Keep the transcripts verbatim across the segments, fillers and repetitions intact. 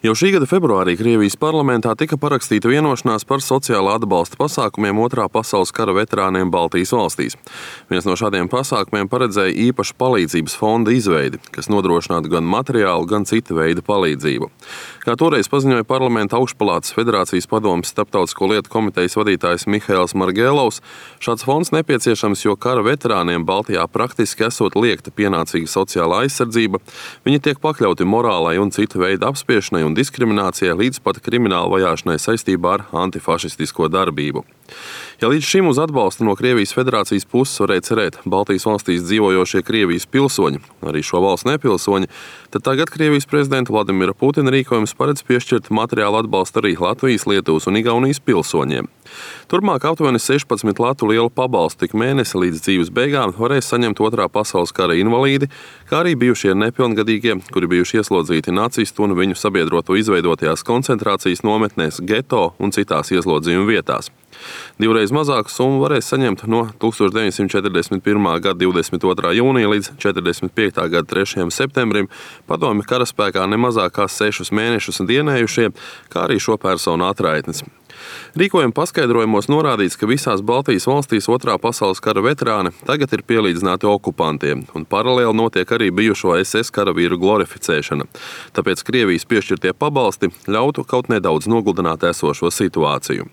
Jau šī gada februārī Krievijas parlamentā tika parakstīta vienošanās par sociālā atbalsta pasākumiem Otrā pasaules kara veterāniem Baltijas valstīs. Viens no šādiem pasākumiem paredzēja īpašu palīdzības fonda izveidi, kas nodrošinātu gan materiālu, gan cita veida palīdzību. Kā toreiz paziņoja Parlamenta augšpalātas Federācijas padomes starptautisko lietu komitejas vadītājs Mihails Margēlovs, šāds fonds nepieciešams, jo kara veterāniem Baltijā praktiski esot liekta pienācīga sociālā aizsardzība, viņi tiek pakļauti morālai un cita veida apspiešanai un diskriminācijai līdz pat krimināla vajāšanai saistībā ar antifašistisko darbību. Ja līdz šim uz atbalstu no Krievijas Federācijas puses varēja cerēt Baltijas valstīs dzīvojošie Krievijas pilsoņi, arī šo valstu nepilsoņi, tad tagad Krievijas prezidenta Vladimira Putina rīkojums paredz piešķirt materiālu atbalstu arī Latvijas, Lietuvas un Igaunijas pilsoņiem. Turpmāk aptuveni sešpadsmit latu lielu pabalstu tik mēnesi līdz dzīves beigām varēs saņemt Otrā pasaules kara invalīdi, kā arī bijušie nepilngadīgie, kuri bijuši ieslodzīti nacistu un viņu sabiedroto izveidotajās koncentrācijas nometnēs, geto un citās ieslodzījuma vietās. Divreiz mazāku summu varēs saņemt no tukstovš deviņsimt četrdesmit pirmā gada divdesmit otrā jūnija līdz četrdesmit piektā gada trešajam septembrim padomju karaspēkā nemazāk kā sešus mēnešus dienējušie, kā arī šo personu atraitnes. Rīkojuma paskaidrojumos norādīts, ka visās Baltijas valstīs Otrā pasaules kara veterāni tagad ir pielīdzināti okupantiem, un paralēli notiek arī bijušo es es karavīru glorificēšana. Tāpēc Krievijas piešķirtie pabalsti ļautu kaut nedaudz nogludināt esošo situāciju.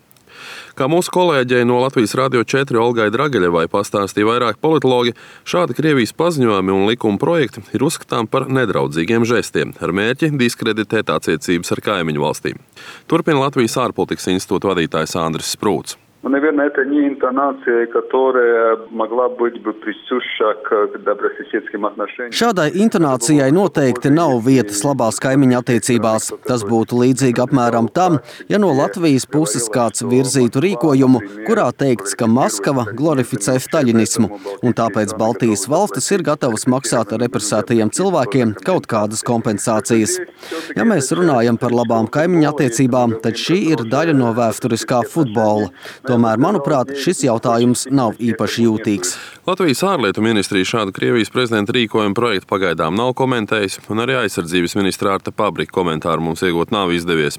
Kā mūsu kolēģei no Latvijas Radio četri Olgai Drageļevai pastāstīja vairāk politologi, šādi Krievijas paziņojumi un likuma projekti ir uzskatām par nedraudzīgiem žestiem, ar mērķi diskreditēt attiecības ar kaimiņu valstīm. Turpina Latvijas ārpolitikas institūta vadītājs Andris Sprūts. Ну, наверное, это не интонация, которая могла быть бы присуща к добрососедским отношениям. Šādai intonācijai noteikti nav vietas labās kaimiņa attiecībās. Tas būtu līdzīgi apmēram tam, ja no Latvijas puses kāds virzītu rīkojumu, kurā teikts, ka Maskava glorificē staļinismu, un tāpēc Baltijas valstis ir gatavas maksāt represētajiem cilvēkiem kaut kādas kompensācijas. Ja mēs runājam par labām kaimiņa attiecībām, tad šī ir daļa no vēsturiskā futbola. Tomēr, manuprāt, šis jautājums nav īpaši jūtīgs. Latvijas ārlietu ministrija šādu Krievijas prezidenta rīkojumu projektu pagaidām nav komentējis, un arī aizsardzības ministra Arta Pabrika komentāru mums iegūt nav izdevies.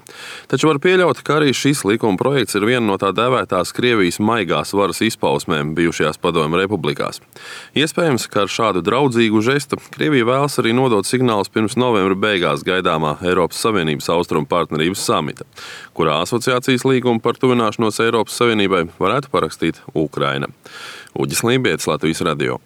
Taču var pieļaut, ka arī šis likuma projekts ir viena no tā dēvētās Krievijas maigās varas izpausmēm bijušajās padomju republikās. Iespējams, ka ar šādu draudzīgu žestu Krievija vēlas arī nodot signālus pirms novembra beigās gaidāmā Eiropas Savienības austrumu partnerības samita, kurā asociācijas līgumu par tuvināšanos Eiropas Savienībai varētu parakstīt Ukraina. Uģis Lībietis, Latvijas Radio.